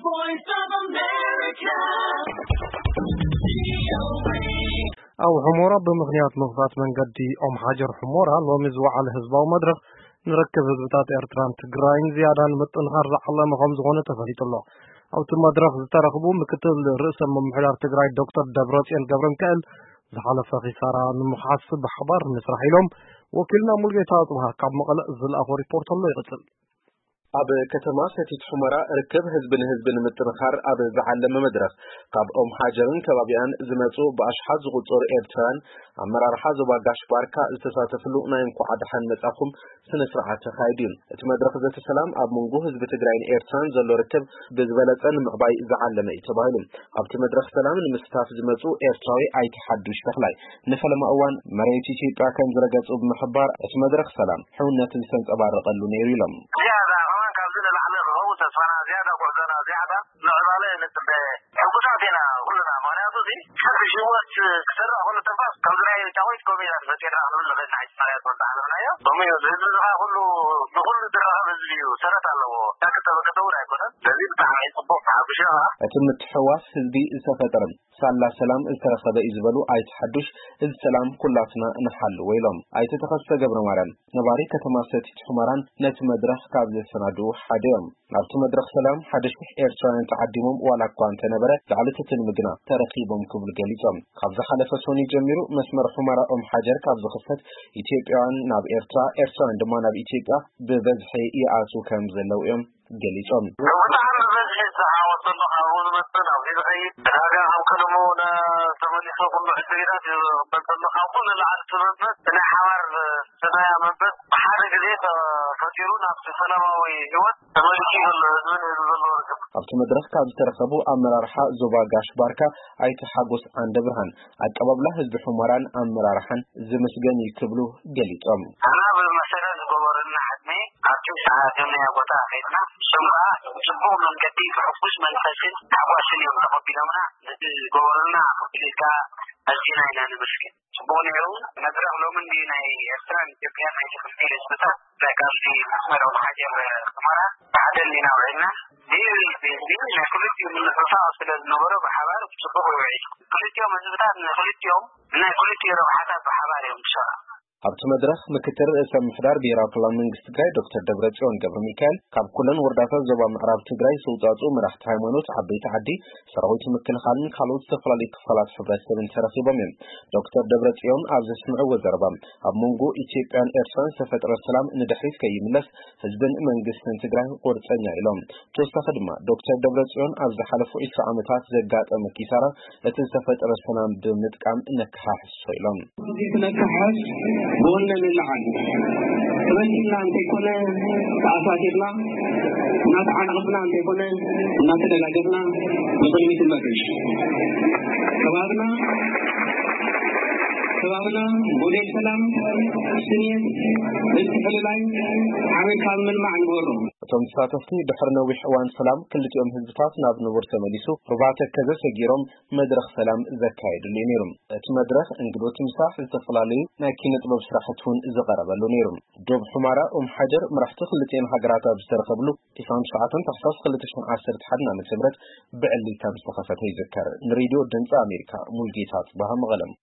Voice of America. ኣብ ሑሞራ ብምኽንያት ምኽፋት መንገዲ ኦም ሓጀር ሑሞራ ሎሚ ዝወዓለ ህዝባዊ መድረኽ ንርክብ ህዝብታት ኤርትራን ትግራይን ዝያዳ ንምጥንኻር ዝዓለመ ከም ዝኾነ ተፈሊጡ ኣሎ። ኣብቲ መድረኽ ዝተረኽቡ ምክትል ርእሰ ምምሕዳር ትግራይ ዶክተር ደብረጽዮን ገብረ ሚካኤል ዝሓለፈ ኺሳራ ንምኽሓስ ብሓባር ንስራሕ ኢሎም ወኪልና ሙልጌታ ኣጽብሃ ካብ መቐለ ዝለኣኾ ሪፖርት ኣሎ ይቕጽል። ኣብ ከተማ ሰቲት ሑመራ ርክብ ህዝቢ ንህዝቢ ንምጥንኻር ኣብ ዝዓለመ መድረኽ ካብ ኦም ሓጀርን ከባቢኣን ዝመፁ ብኣሽሓት ዝቑፀሩ ኤርትራውያን ኣመራርሓ ዞባ ጋሽ ባርካ ዝተሳተፍሉ ናይ እንኳዕ ደሓን መጻኹም ስነ ስርዓት ተኻይዱ እዩ። እቲ መድረኽ ዘተ ሰላም ኣብ መንጎ ህዝቢ ትግራይን ኤርትራን ዘሎ ርክብ ብዝበለፀ ንምዕባይ ዝዓለመ እዩ ተባሂሉ። ኣብቲ መድረኽ ሰላም ንምስታፍ ዝመፁ ኤርትራዊ ኣይተ ሓዱሽ ተኽላይ ንፈለማ እዋን መሬት ኢትዮጵያ ከም ዝረገፁ ብምሕባር እቲ መድረኽ ሰላም ሕውነት ዝተንፀባረቐሉ ነይሩ ኢሎም። ዝያዳ ከማን ካብዚ ንላዕሊ ክኸውን ተስፋና ዝያዳ ጉዕዞና ዝያዳ ምዕባለ ንፅበ። ሕጉሳት ኢና ኩልና፣ ምኽንያቱ እዚ ሓድሽ ህይወት ክሰርሕ ከሎ ተንፋስ ከምዚ ናይ ጫወይት ኮሜድያ ተፈጢርና ክንብል ንኽእል ኢና። ሓይቲ ማርያም ተወልደ ሓለፍናዮ ከምኡ እዩ። ህዝቢ ዝኻ ኩሉ ብኩሉ ዝራኸብ ህዝቢ እዩ፣ ሰረት ኣለዎ። ዳክተበከተ እውን ኣይኮነን። ስለዚ ብጣዕሚ ጽቡቕ ተሓጒሰ። እቲ ምትሕዋስ ህዝቢ ዝተፈጠረ ሳላ ሰላም ዝተረኸበ እዩ ዝበሉ ኣይተ ሓዱሽ፣ እዚ ሰላም ኩላትና ንሓልዎ ኢሎም። ኣይተ ተኸስተ ገብረ ማርያም ነባሪ ከተማ ሰቲት ሑመራን ነቲ መድረኽ ካብ ዘሰናድኡ ሓደ እዮም። ናብቲ መድረኽ ሰላም ሓደ ሽሕ ኤርትራውያን ተዓዲሞም ዋላ እኳ እንተነበረ ልዕሊ ትትንሚ ግና ተረኺቦም ክብሉ ገሊጾም። ካብ ዝሓለፈ ሰኑይ ጀሚሩ መስመር ሑመራ ኦም ሓጀር ካብ ዝኽፈት ኢትዮጵያውያን ናብ ኤርትራ፣ ኤርትራውያን ድማ ናብ ኢትዮጵያ ብበዝሒ ይኣትዉ ከም ዘለዉ እዮም ገሊጾም። ብጣዕሚ ብበዝሒ ዝዓወት ዘሎ ካብኡ ዝመጽእ ናብዚ ዝኸይድ ዕዳጋ ከም ቀደሙ ተመሊሱ ኩሉ ዕድጊታት ይቕበል ዘሎ ካብ ኩሉ ንላዕሊ እቲ መንፈስ ናይ ሓባር ሰናያ መንፈስ ብሓደ ግዜ ተፈጢሩ ናብቲ ሰላማዊ ህይወት ተመሊሱ ዘሎ ህዝብን ህዝቢ ዘለዎ ርክብ። ኣብቲ መድረኽ ካብ ዝተረኸቡ ኣመራርሓ ዞባ ጋሽ ባርካ ኣይተ ሓጎስ ዓንደ ብርሃን ኣቀባብላ ህዝቢ ሑመራን ኣመራርሓን ዝምስገን እዩ ክብሉ ገሊጾም። ኣና ብመሰረት ዝገበሩልና ሕድሚ ኣብቲ ሰዓት ናይ ቦታ ከይድና እሶም ከዓ ብፅቡቕ መንገዲ ብሕጉስ መንፈስን ታሕጓስን እዮም ተቐቢሎምና። ነቲ ዝገበሩልና ክፍሊት ከዓ ኣዚና ኢና ንመስገን። ጽቡቕ ነይሩ። መድረኽ ሎሚ እንዲ ናይ ኤርትራን ኢትዮጵያን ናይ ትኽክል ህዝብታት ናይ ካብዚ መስመር ኦም ሓጀር ሑመራ ብሓደ እንዲና ውዒልና። እዚ እዚ ናይ ክልቲኡ ምንፍፋቕ ስለ ዝነበሮ ብሓባር ብጽቡቕ ይውዒል። ክልቲኦም ህዝብታት ንክልቲኦም ናይ ክልቲኡ ረብሓታት ብሓባር እዮም ዝሰርሑ። ኣብቲ መድረኽ ምክትል ርእሰ ምምሕዳር ብሄራዊ ክልላዊ መንግስቲ ትግራይ ዶክተር ደብረጽዮን ገብረ ሚካኤል ካብ ኩለን ወረዳታት ዞባ ምዕራብ ትግራይ ዝተውጻእፅኡ መራሕቲ ሃይማኖት፣ ዓበይቲ ዓዲ፣ ሰራዊት ምክልኻልን ካልኦት ዝተፈላለዩ ክፋላት ሕብረተሰብን ተረኺቦም እዮም። ዶክተር ደብረጽዮን ኣብ ዘስምዕዎ ዘረባ ኣብ መንጎ ኢትዮጵያን ኤርትራን ዝተፈጠረ ሰላም ንድሕሪት ከይምለስ ህዝብን መንግስትን ትግራይ ቁርፀኛ ኢሎም። ብተወሳኺ ድማ ዶክተር ደብረጽዮን ኣብ ዝሓለፉ ዕስራ ዓመታት ዘጋጠመ ኪሳራ እቲ ዝተፈጠረ ሰላም ብምጥቃም ነከሓሕሶ ኢሎም። እዚ ክነከሓስ ብወነ ንለዓል ተበቲንና እንተይኮነ ተኣሳሲርና እናተዓናቕፍና እንተይኮነ እናተደጋገፍና ንቕድሚት ንመርሽ። ከባብና ከባብና ሞዴል ሰላም፣ ስሜት፣ ምትሕልላይ ዓመት ካብ ምልማዕ ንግበሮ። እቶም ተሳተፍቲ ድሕሪ ነዊሕ እዋን ሰላም ክልቲኦም ህዝብታት ናብ ንቡር ተመሊሱ ሩባ ተከዘ ሰጊሮም መድረኽ ሰላም ዘካየድሉ እዩ ነይሩ። እቲ መድረኽ እንግዶት ምሳሕ ዝተፈላለዩ ናይ ኪነ ጥበብ ስራሕቲ እውን ዝቐረበሉ ነይሩ። ዶብ ሑማራ ኦም ሓጀር መራሕቲ ክልቲኤን ሃገራት ኣብ ዝተረኸብሉ ዕስራን ትሽዓተን ታሕሳስ ክልተ ሽሕን ዓሰርተ ሓደን ዓመተ ምህረት ብዕሊ ከም ዝተኸፈተ ይዝከር። ንሬድዮ ድምፂ ኣሜሪካ ሙልጌታ ጽባህ መቐለም።